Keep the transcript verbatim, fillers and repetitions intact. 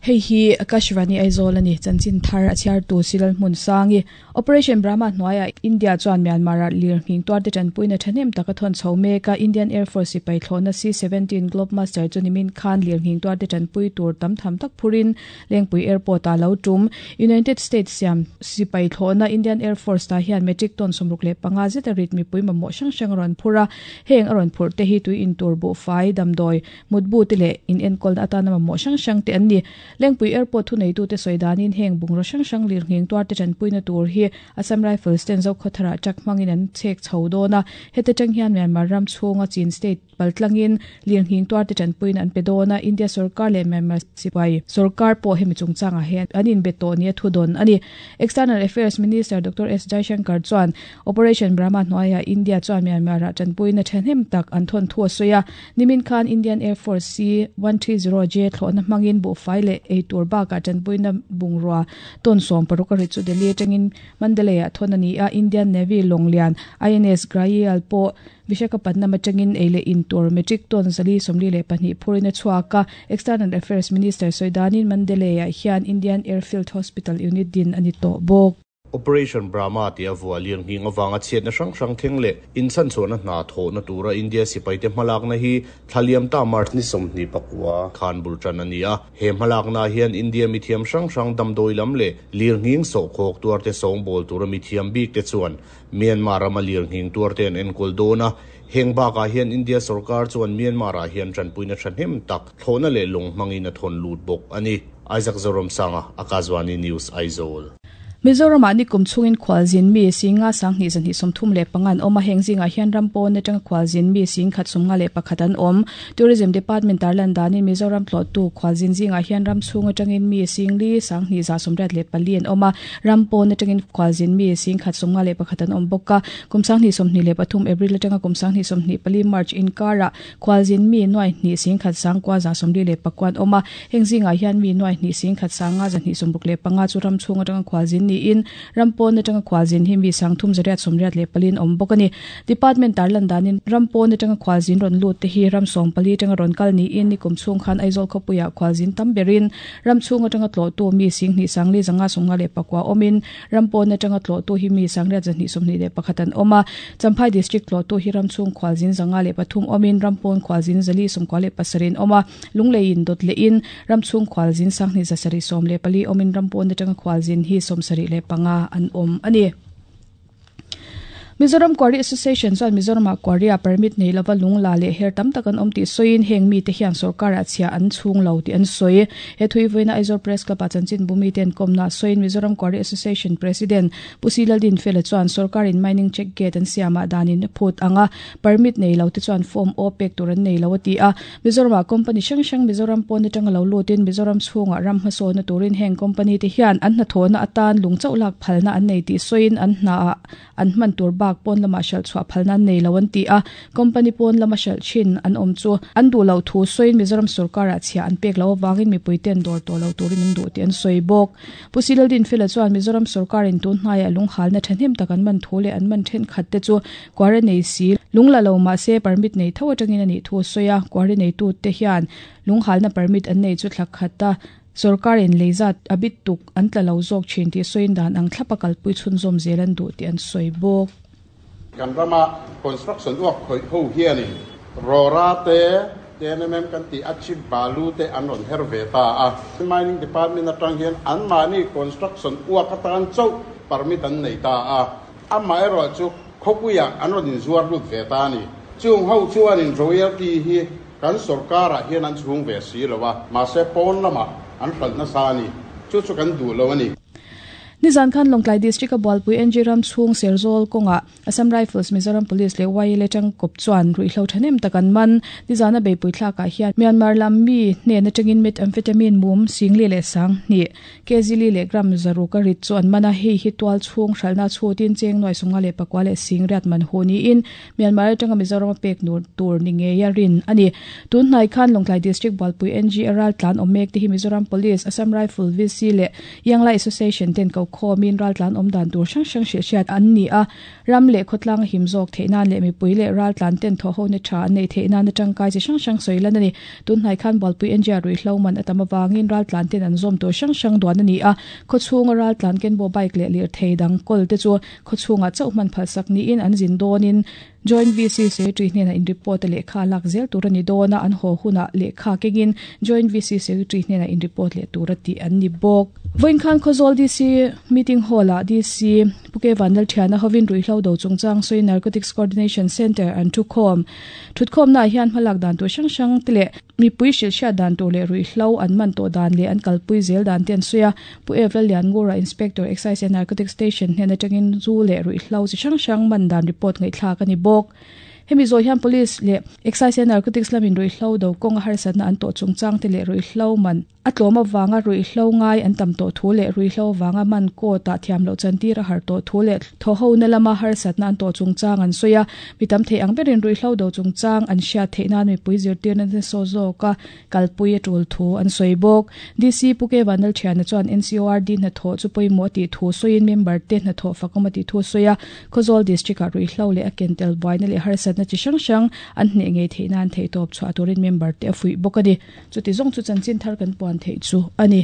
Hei hi Akashvani Aizawl ani chanchin thar a chhiar tu Silal hmun sangi Operation Brahma hnuaia India chuan Myanmar a lirnghing tuarte tanpuina thahnem taka thawn chho mek a Indian Air Force sipai thlawhna C seventeen Globemaster chu nimin khan lirnghing tuarte tanpui tur tam tham tak phurin Lengpui Airport a lo tum United States siam sipai thlawhna Indian Air Force ta hian metric ton sawmruk leh panga zet a rit mipui mamawh hrang hrang a rawn phur a heng a rawn phurh te hi tui in tur buhfai damdawi mutbu te leh in enkawlna atana mamawh hrang hrang te an ni Lengpui Airport thu neitu te sawi danin heng bungraw hrang hrang lirnghing tuarte tanpuina tur hi Assam Rifles ten zo khawthara truck hmangin an chhek chho dawn a heta tang hian Myanmar ram chhunga Chin state paltlangin lirnghing tuarte tanpuina an pe dawn a India sarkar leh Myanmar sipai sarkar pawh hemi chungchangah hian an inbe tawh ni a thu dawn ani External Affairs Minister Doctor S Jaishankar chuan Operation Brahma hnuaia India chuan Myanmar ah tanpuina thahnem tak an thawn thu a sawi a nimin khan Indian Air Force C one three zero J thlawhna hmangin buhfai leh ei tur bakah tanpuina bungrua tawn sawm paruk a ri chu Delhi atangin Mandalay ah thawn ani a Indian Navy Longlian I N S Grail pawh Visakhapatnam atangin ei leh in tur metric ton zali sawmli leh pahnih phurin a chhuak a External Affairs Minister sawi danin Mandalay ah hian Indian Airfield Hospital unit din ani tawh bawk. Operation Brahma ti a vua lirnghing awanga chhiatna hrang hrang thleng leh inchhan chhuahna hna thawhna tura India sipai te hmalakna hi thlaliam ta March ni sawmhnih pakua khan bul tan ani a he hmalakna hian India mithiam hrang hrang damdawi lam leh lirnghing sawhkhawk tuar te sawngbâwl tura mithiam bik te chuan Myanmar rama lirnghing tuar te an enkawl dawn a heng bakah hian India sarkar chuan Myanmar ah hian tanpuina thahnem tak thlawhna leh lawng hmangin a thawn lut bawk ani Isaac Zoram Sanga Akashvani News Aizawl. Mizoram ah ni kum chungin khwalzin mi singa sanghni zanhi sawmthum leh pangan awm a heng zingah hian ram pawn atanga khwalzin mi sing khat sawmnga leh pakhat an awm Tourism Department tarlan danin Mizoram tlawhtu khwalzin zingah hian ram chhung atangin mi singli sanghni za sawmriat leh pali an awm a ram pawn atangin khwalzin mi sing khat sawmnga leh pakhat an awm bawk a kum sanghni sawmhnih leh pathum April atanga kum sanghni sawmhnih pali March inkara khwalzin mi nuai hnih sing khat sangkua za sawmli leh pakua an awm a heng zingah hian mi nuai hnih sing khat sanga zahnih sawmruk leh panga chu ram chhung atanga khwalzin ni in rampon atanga khwalzin hi mi sangthum zariat sawmriat leh palin awm bawk ani department tarlan danin rampon atanga khwalzin rawn lut te hi ram sawm pali atanga rawn kal ni in ni kum chhung khan Aizawl khawpuiah khwalzin tam berin ram chhung atanga tlawhtu mi singhnih sangli zanga sawmnga leh pakua awmin rampon atanga tlawhtu hi mi sangriat zahnih sawmhnih leh pakhat an awm a Champhai district tlawhtu hi ram chhung khwalzin zanga leh pathum awmin rampon khwalzin zali sawmkua leh pasarin awm a lungleiin dawt leh in ram chhung khwalzin sanghnih zasarih sawm leh pali awmin rampon atanga khwalzin hi sawmsarih leh panga an awm ani. Mizoram Quarry Association chuan Mizoram ah quarry a permit nei lova lungla leh her tam tak an awm tih sawiin heng mi te hian sarkar ah chhia an chhung lo tih an sawi he thui vawiina Aizawl Press Club ah chanchin bumi ten kawmna sawiin Mizoram Quarry Association President Pu Silaldin Fela chuan sarkar in mining check gate an siamah danin phut anga permit nei lo te chuan form O pek tur an nei lo a ti a Mizoram ah company hrang hrang Mizoram pawn atanga lo lutin Mizoram chhungah ram hmasawnna turin heng company te hian an hnathawhna atan lung chauh lak phalna an nei tih sawiin an hna ah an hman tur bak pawn lama hral chhuah phalna an nei lo an ti a company pawn lama hral thin an awm chu an duh lo thu sawiin Mizoram sarkar ah chhia an pek lo awangin mipui ten dawr tawh lo turin an duh tih an sawi bawk Pu Silaldin Fela chuan Mizoram sarkar in tun hnaiah lunghalna thahnem tak an man thu leh an man then khat te chu quarry nei si lungla lo mah se permit nei tho atangin ani thu sawi a quarry nei tu te hian lunghalna permit an nei chu thlak khat a sarkar in leizat abit tuk an tla lo zawk thin tih sawiin dan ang thlapa kalpui chhunzawm zel an duh tih an sawi bawk. Kan rama construction work khoi ho hianin rora te T N M M kan ti achip balu te an ron her ve ta a mining department atang hian an mani construction work atan chau permit an nei ta a amma ero chu khopuya an ron in zuar lut ve ta ni chung ho chuan in royalty hi kan sarkar ah hian an chhung ve si lowa ma se pawn lama an hral na sa ni chu chu kan du lo ani. Nizan khan Lawngtlai District a Bualpui N G ram chhung Serzawl kawnga Assam Rifles Mizoram Police leh Y L A tang kawp chuan ruihhlo thahnem tak an man nizan a beipui thlakah hian Myanmar lam mi hnen atangin methamphetamine mum singli leh sang hnih kg li leh gram zaruk a rit chu an man a hei hi tual chhung hralna chhutin cheng nuai sawmnga leh pakua leh sing riat man hu niin Myanmar atanga Mizoram a pek nur tur ni ngei a rin ani tun hnai khan Lawngtlai District Bualpui N G aral tlan awm mek te hi Mizoram Police Assam Rifle V C leh Yanglai Association ten ko khomin raltlan omdan tur hrang hrang hrilh hriat an ni a ram leh khawtlang him zawk theihnan leh mipui leh raltlan ten thaw ho na tha an nei theihnan atangkai chi hrang hrang sawilan ani tun hnai khan Bualpui N G rui hlo man atam awangin raltlan ten an zawm tur hrang hrang duan ani a khawchhunga raltlan ken bo bike leh lir thei dang kol te chu khawchhunga chauhman phalsak niin an zin dawnin Joint V C Secretary hnena in report lehkha lak zel tur ani dawna an haw huna lehkha kengin Joint V C Secretary hnena in report leh tur ati an ni bawk. Voin khan Khawzawl D C meeting hall ah D C Puke Vanlal Thiana hovin ruihhlo do chungchang soi Narcotics Coordination Center an thukhawm. Thutkhawm na hian hmalak dan tur hrang hrang te leh mipui hrilh hriat dan tur leh ruihhlo an man tawh dan leh an kalpui zel dan te an sawi a. Pu Evral Lian Ngura Inspector Excise and Narcotics Station hnen atangin zu leh ruihhlo chi hrang hrang man dan report ngaihthlak ani bawk. Hemi zawi hian police leh Excise and Narcotics lamin ruihhlo do kawng a harsatna an tawh chungchang te leh ruihhlo man a tlawm awanga ruihhlo ngai an tam tawh thu leh ruihhlo wanga man court ah thiam loh chantir a har tawh thu leh thaw ho na lama harsatna an tawh chungchang an sawi a. Mi tam thei ang berin ruihhlo do chungchang an hriat theihnan mipui zirtirna te saw zawk a kalpui a tul thu an sawi bawk. D C Puke Vanlal Thiana chuan N C O R D hnathawh chu pawimawh tih thu sawiin member te hnathawh fakawm a tih thu sawi a. Khawzawl district ah ruihhlo leh a ken tel buaina leh harsatna chi hrang hrang an hneh ngei theihnan thei tawp chhuah turin member te a fuih bawk ani. Chuti zawng chu chanchin thar kan puan thei chu ani.